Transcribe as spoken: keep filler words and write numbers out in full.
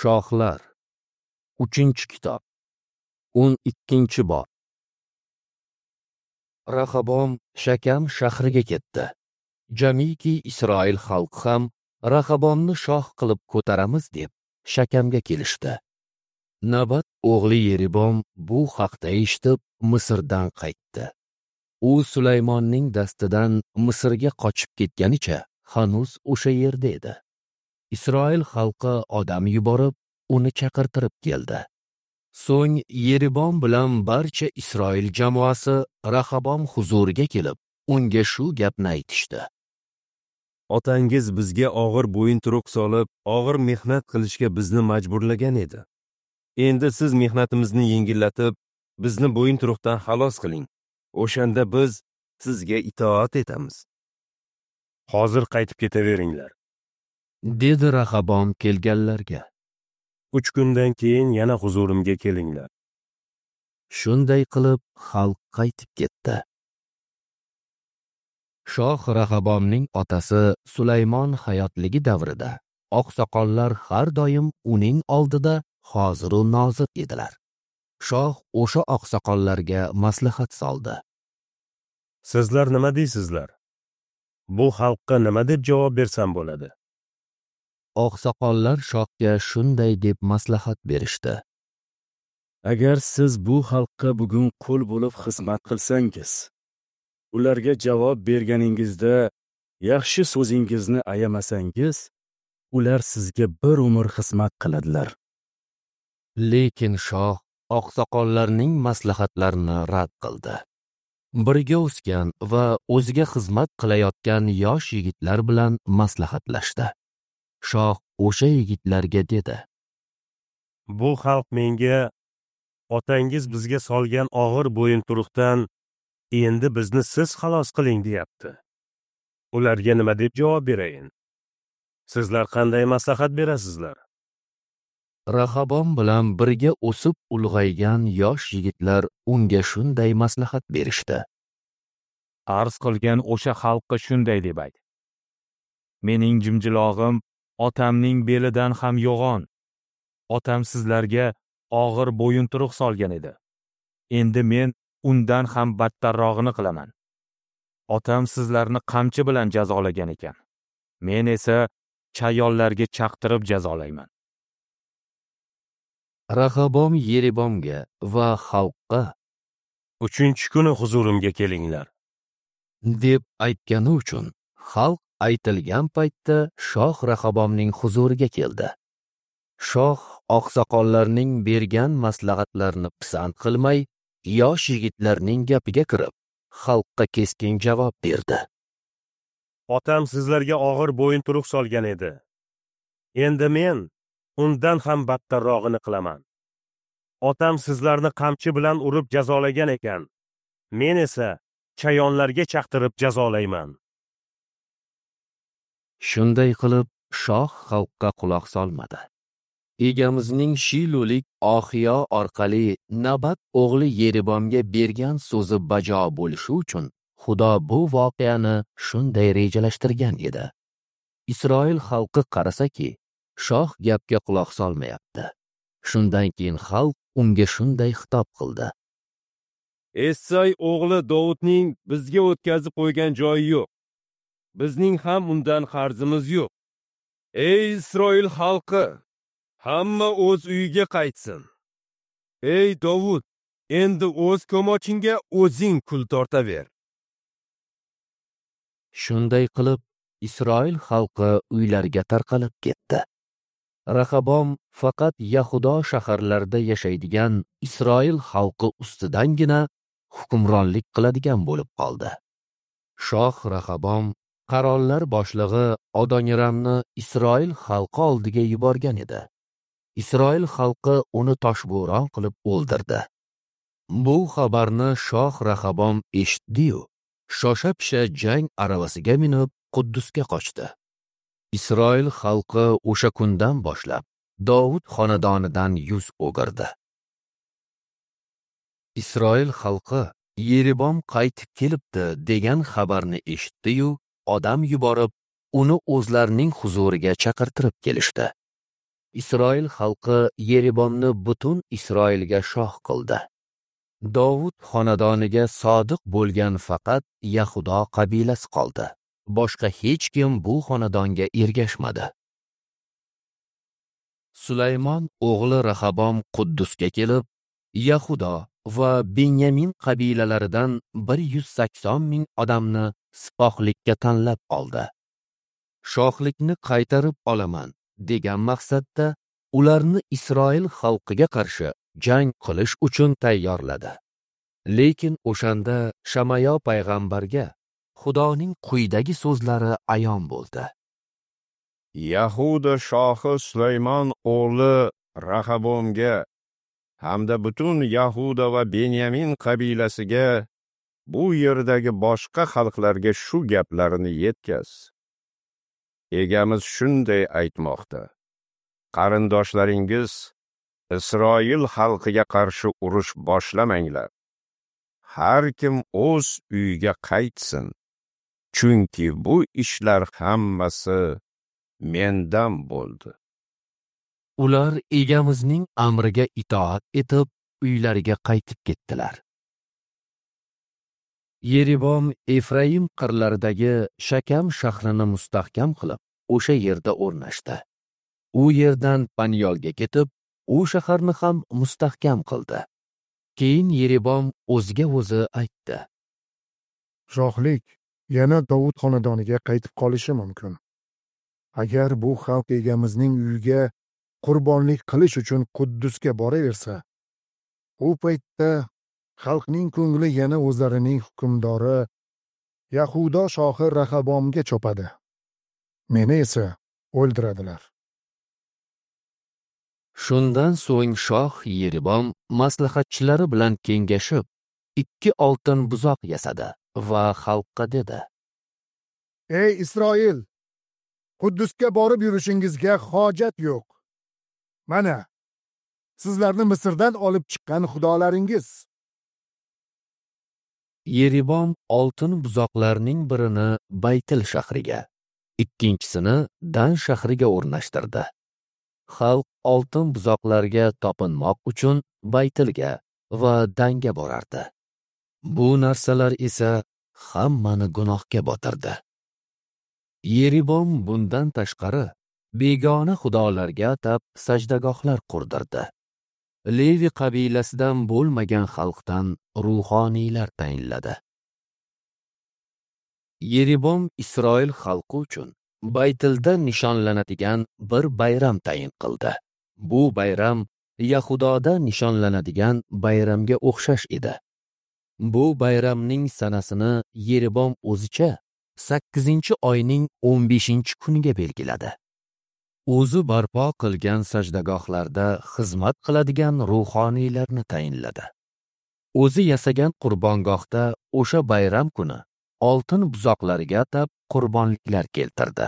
Shohlar, uchinchi kitob, o'n ikkinchi bob. Rahabom Shakam shahriga ketdi. Jamiki Isroil xalqi ham Rahabomni shoh qilib ko'taramiz deb Shakamga kelishdi. Nabat o'g'li Yeribom bu haqda eshitib Misrdan qaytdi. U Sulaymonning dastidan Misrga qochib ketganicha hanuz o'sha yerda edi. Isroil xalqi odam yuborib, uni chaqirtirib keldi. So'ng Yeribom bilan barcha Isroil jamoasi Rahabom huzuriga kelib, unga shu gapni aytishdi. Otangiz bizga og'ir bo'yinturuq solib, og'ir mehnat qilishga bizni majburlagan edi. Endi siz mehnatimizni yengillatib, bizni bo'yinturuqdan xalos qiling. O'shanda biz sizga itoat etamiz. Hozir qaytib ketaveringlar, dedi Rahabom kelganlarga. Uch kundan keyin yana huzurimga kelinglar. Shunday qilib xalq qaytib ketdi. Shoh Rahabomning otasi Sulaymon hayotligi davrida oqsoqollar har doim uning oldida hoziru nozir edilar. Shoh o'sha oqsoqollarga maslahat soldi. Sizlar nima deysizlar? Bu xalqqa nima deb javob bersam bo'ladi? Oqsoqollar shohga shunday deb maslahat berishdi. Agar siz bu xalqqa bugun qul bo'lib xizmat qilsangiz, ularga javob berganingizda yaxshi so'zingizni ayamasangiz, ular sizga bir umr xizmat qiladilar. Lekin shoh oqsoqollarning maslahatlarini rad qildi. Birga o'sgan va o'ziga xizmat qilayotgan yosh yigitlar bilan maslahatlashdi. Shoh o'sha yigitlarga dedi: Bu xalq menga otangiz bizga solgan og'ir bo'yinturuqdan endi bizni siz xalos qiling deyapti. Ularga nima deb javob berayin? Sizlar qanday maslahat berasizlar? Rahabom bilan birga o'sib ulg'aygan yosh yigitlar unga shunday maslahat berishdi. Arz qilgan o'sha xalqqa shunday deb ayt: Mening jimjilog'im otamning belidan ham yo'g'on. Otam sizlarga og'ir bo'yinturuq solgan edi. Endi men undan ham battarrog'ini qilaman. Otam sizlarni qamchi bilan jazolagan ekan. Men esa chayonlarga chaqtirib jazolayman. Rahabom Yeribomga va xalqqa uchinchi kuni huzurimga kelinglar deb aytgani uchun xalq aytilgan paytda shoh Rahabomning huzuriga keldi. Shoh oqsoqollarning bergan maslahatlarini pisand qilmay, yosh yigitlarning gapiga kirib, xalqqa keskin javob berdi. Otam sizlarga og'ir bo'yinturuq solgan edi. Endi men undan ham battarrog'ini qilaman. Otam sizlarni qamchi bilan urib jazolagan ekan. Men esa chayonlarga chaqtirib jazolayman. Shunday qilib shoh xalqqa quloq solmadi. Egamizning Shilulik Oxiyo orqali Nabat o'g'li Yeribomga bergan so'zi bajo bo'lishi uchun Xudo bu voqeani shunday rejalashtirgan edi. Isroil xalqi qarasaki, shoh gapga quloq solmayapti. Shundan keyin xalq unga shunday xitob qildi: Essay o'g'li Dovudning bizga o'tkazib qo'ygan joyi yo'q. Bizning ham undan qarzimiz yo'q. Ey Isroil xalqi, hamma o'z uyiga qaytsin. Ey Dovud, endi o'z ko'mochingga o'zing kul tortaver. Shunday qilib Isroil xalqi uylariga tarqalib ketdi. Rahabom faqat Yahudo shaharlarida yashaydigan Isroil xalqi ustidangina hukmronlik qiladigan bo'lib qoldi. Shoh Rahabom qarollar boshlig'i Adoniramni Isroil xalqi oldiga yuborgan edi. Isroil xalqi uni toshbo'ron qilib o'ldirdi. Bu xabarni shoh Rahabom eshitdi-yu, shosha-pisha jang aravasiga minib Quddusga qochdi. Isroil xalqi o'sha kundan boshlab Dovud xonadonidan yuz o'girdi. Isroil xalqi Yeribom qaytib kelibdi degan xabarni eshitdi-yu, odam yuborib uni o'zlarining huzuriga chaqirtirib kelishdi. Isroil xalqi Yeribomni butun Isroilga shoh qildi. Dovud xonadoniga sodiq bo'lgan faqat Yahudo qabilasi qoldi. Boshqa hech kim bu xonadonga ergashmadi. Sulaymon o'g'li Rahabom Quddusga kelib, Yahudo va Benyamin qabilalaridan bir yuz sakson ming odamni sipohlikka tanlab oldi. Shohlikni qaytarib olaman degan maqsadda ularni Isroil xalqiga qarshi jang qilish uchun tayyorladi. Lekin o'shanda Shamayo payg'ambarga Xudoning quyidagi so'zlari ayon bo'ldi. Yahuda shohi Sulaymon o'g'li Rahabomga hamda butun Yahuda va Benyamin qabilasiga, bu yerdagi boshqa xalqlarga shu gaplarni yetkaz. Egamiz shunday aytmoqda: qarindoshlaringiz Isroil xalqiga qarshi urush boshlamanglar. Har kim o'z uyiga qaytsin, chunki bu ishlar hammasi mendan bo'ldi. Ular egamizning amriga itoat etib, uylariga qaytib ketdilar. Yeribom Efraim qirlaridagi Shakam shahrini mustahkam qilib, o'sha yerda o'rnashdi. U yerdan Panyolga ketib, u shaharni ham mustahkam qildi. Keyin Yeribom o'ziga o'zi aytdi: Shohlik yana Dovud xonadoniga qaytib qolishi mumkin. Agar bu xalq egamizning uyiga qurbonlik qilish uchun Quddusga boraversa, u paytda xalqning ko'ngli yana o'zlarining hukmdori Yahudo shohi Rahabomga chopadi. Meni esa o'ldiradilar. Shundan so'ng shoh Yeribom maslahatchilari bilan kengashib, ikki oltin buzoq yasadi va xalqqa dedi: Ey Isroil, Quddusga borib yurishingizga hojat yo'q. Mana, sizlarni Misrdan olib chiqqan xudolaringiz. Yeribom oltin buzoqlarning birini Baytil shahriga, ikkinchisini Dan shahriga o'rnashtirdi. Xalq oltin buzoqlarga topinmoq uchun Baytilga va Danga borardi. Bu narsalar esa hammani gunohga botirdi. Yeribom bundan tashqari begona xudolarga atab sajdagohlar qurdirdi. Levi qabilasidan bo'lmagan xalqdan ruhoniylar tayinladi. Yeribom Isroil xalqi uchun Baytilda nishonlanadigan bir bayram tayin qildi. Bu bayram Yahudoda nishonlanadigan bayramga o'xshash edi. Bu bayramning sanasini Yeribom o'zicha sakkizinchi oyning o'n beshinchi kuniga belgiladi. O'zi barpo qilgan sajdagohlarda xizmat qiladigan ruhoniylarni tayinladi. O'zi yasagan qurbongohda o'sha bayram kuni oltin buzoqlarga atab qurbonliklar keltirdi.